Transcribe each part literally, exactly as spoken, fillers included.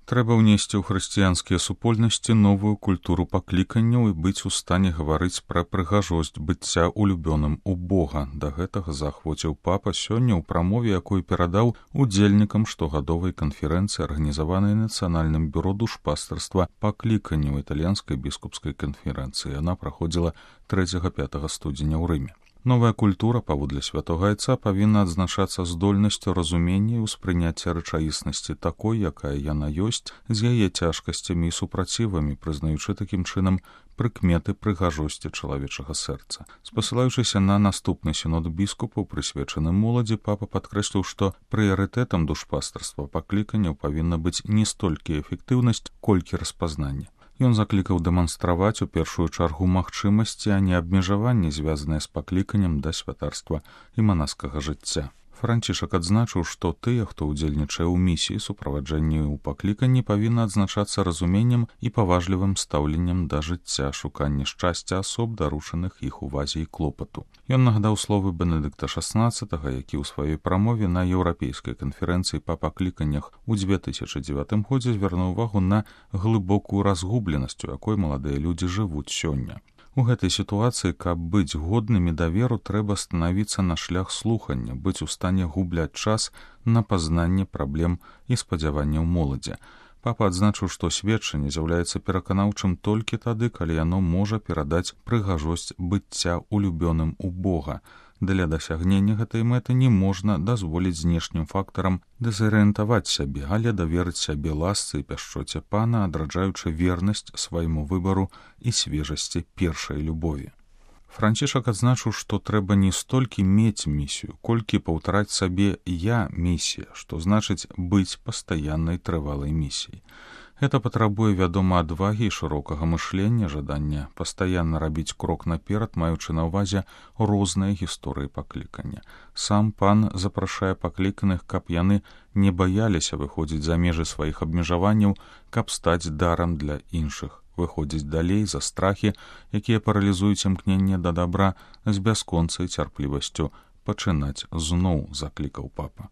Трэба ўнесці ў хрысціянскія супольнасці новую культуру пакліканняў і быць у стане гаварыць пра прыгажосць быцця улюбёным у Бога. Да гэтага заахвоціў папа сёння ў прамове, якую перадаў удзельнікам штогадовай канферэнцыі, арганізаванай Нацыянальным бюро душпастарства пакліканняў італьянскай біскупскай канферэнцыі. Яна праходзіла трэцяга-пятага студзеня ў Рыме. Новая культура, паводле святога айца, павінна адзначацца здольнасцю разумення і ўспрыняцця рэчаіснасці такой, якая яна ёсць, з яе цяжкасцямі і супрацівамі, прызнаючы такім чынам прыкметы прыгажосці чалавечага сэрца. Спасылаючыся на наступны сінод біскупаў, прысвечаны моладзі, папа падкрэсліў, што прыярытэтам душпастарства пакліканняў павінна быць не столькі эфектыўнасць, колькі распазнанне. Ён заклікаў дэманстраваць у першую чаргу магчымасці, а не абмежаванні, звязаныя з пакліканнем да святарства і манаскага жыцця. Францішак адзначыў, што тыя, хто ўдзельнічае ў місіі суправаджэнні ў пакліканні, павінна адзначацца разуменнем і паважлівым стаўленнем да жыцця, шуканне шчасця асоб, даручаных іх увазе і клопату. Ён нагадаў словы Бенедыкта шаснаццатага, які ў сваёй прамове на еўрапейскай канферэнцыі па пакліканнях у дзве тысячы дзевятым годзе звярнуў увагу на глыбокую разгубленасць, у якой маладыя людзі жывуць сёння. У гэтай сітуацыі, каб быць годнымі даверу, трэба станавіцца на шлях слухання, быць у стане губляць час на пазнанне праблем і спадзяванняў моладзі. Папа адзначыў, што сведчанне з'яўляецца пераканаўчым толькі тады, калі яно можа перадаць прыгажосць быцця улюбёным у Бога. Для дасягнення гэтай мэты не можна дазволіць знешнім фактарам дэзарыентаваць сябе, але даверыць сябе ласцы і пяшчоце Пана, адраджаючы вернасць свайму выбару і свежасці першай любові. Францішак адзначыў, што трэба не столькі мець місію, колькі паўтараць сабе «я місія», што значыць быць пастаяннай трывалай місіяй. Гэта патрабуе, вядома, адвагі і шырокага мышлення, жадання пастаянна рабіць крок наперад, маючы на ўвазе розныя гісторыі паклікання. Сам Пан запрашае пакліканых, каб яны не баяліся выходзіць за межы сваіх абмежаванняў, каб стаць дарам для іншых, выходзіць далей за страхі, якія паралізуюць імкненне да дабра, з бясконцай цярплівасцю пачынаць зноў, заклікаў папа.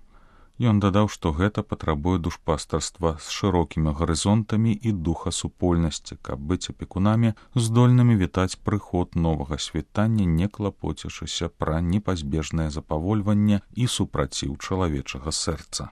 Ён дадаў, што гэта патрабуе душпастарства з шырокімі гарызонтамі і духа супольнасці, каб быць апекунамі, здольнымі вітаць прыход новага світання, не клапоцячыся пра непазбежнае запавольванне і супраціў чалавечага сэрца.